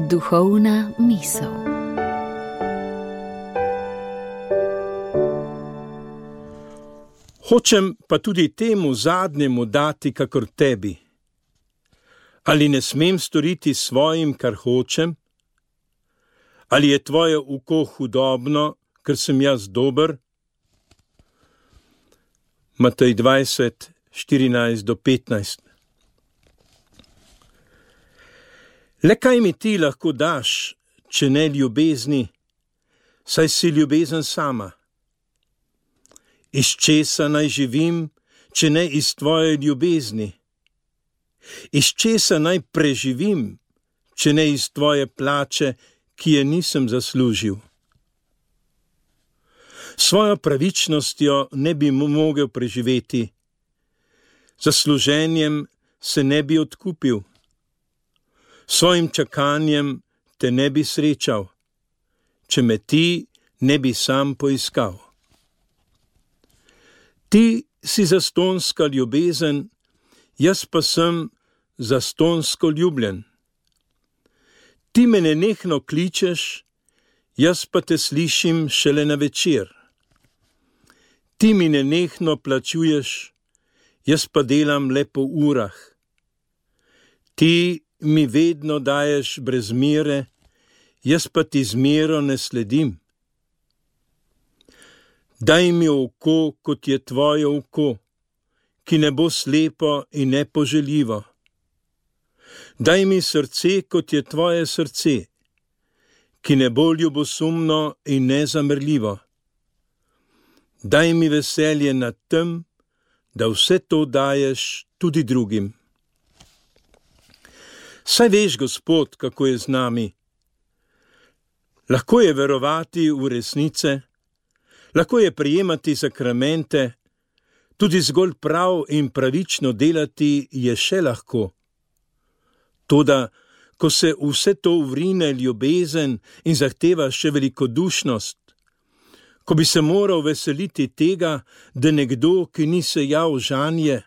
Duhovna misel. Hočem pa tudi temu zadnjemu dati kakor tebi. Ali ne smem storiti svojim, kar hočem? Ali je tvoje oko hudobno, ker sem jaz dober? Matej 20, 14-15. Le kaj mi ti lahko daš, če ne ljubezni, saj si ljubezen sama? Iz česa naj živim, če ne iz tvoje ljubezni? Iz česa naj preživim, če ne iz tvoje plače, ki je nisem zaslužil? Svojo pravičnostjo ne bi mogel preživeti, zasluženjem se ne bi odkupil, svojim čakanjem te ne bi srečal, če me ti ne bi sam poiskal. Ti si zastonska ljubezen, jaz pa sem zastonsko ljubljen. Ti me nenehno kličeš, jaz pa te slišim šele na večer. Ti mi nenehno plačuješ, jaz pa delam le po urah. Ti mi vedno daješ brez mere, jaz pa ti z mero ne sledim. Daj mi oko, kot je tvoje oko, ki ne bo slepo in nepoželjivo. Daj mi srce, kot je tvoje srce, ki ne bo ljubosumno in nezamrljivo. Daj mi veselje nad tem, da vse to daješ tudi drugim. Saj veš, Gospod, kako je z nami. Lahko je verovati v resnice, lahko je prijemati sakramente, tudi zgolj prav in pravično delati je še lahko. Toda, ko se vse to vrine ljubezen in zahteva še velikodušnost, ko bi se moral veseliti tega, da nekdo, ki ni sejal žanje,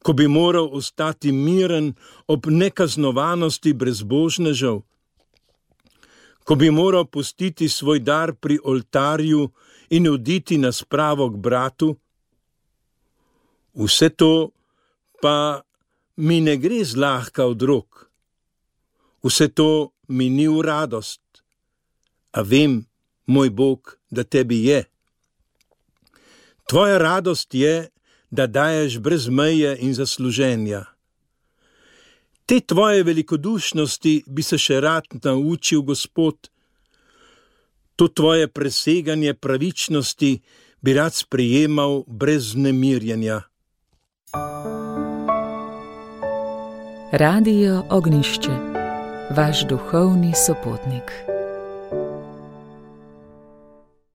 ko bi moral ostati miren ob nekaznovanosti brezbožnežev, ko bi moral pustiti svoj dar pri oltarju in oditi na spravo k bratu, vse to pa mi ne gre zlahka od rok. Vse to mi ni v radost, a vem, moj Bog, da tebi je. Tvoja radost je, da daješ brez meje in zasluženja. Te tvoje velikodušnosti bi se še rad naučil, Gospod. To tvoje preseganje pravičnosti bi rad sprejemal brez vznemirjenja. Radio Ognjišče, vaš duhovni sopotnik.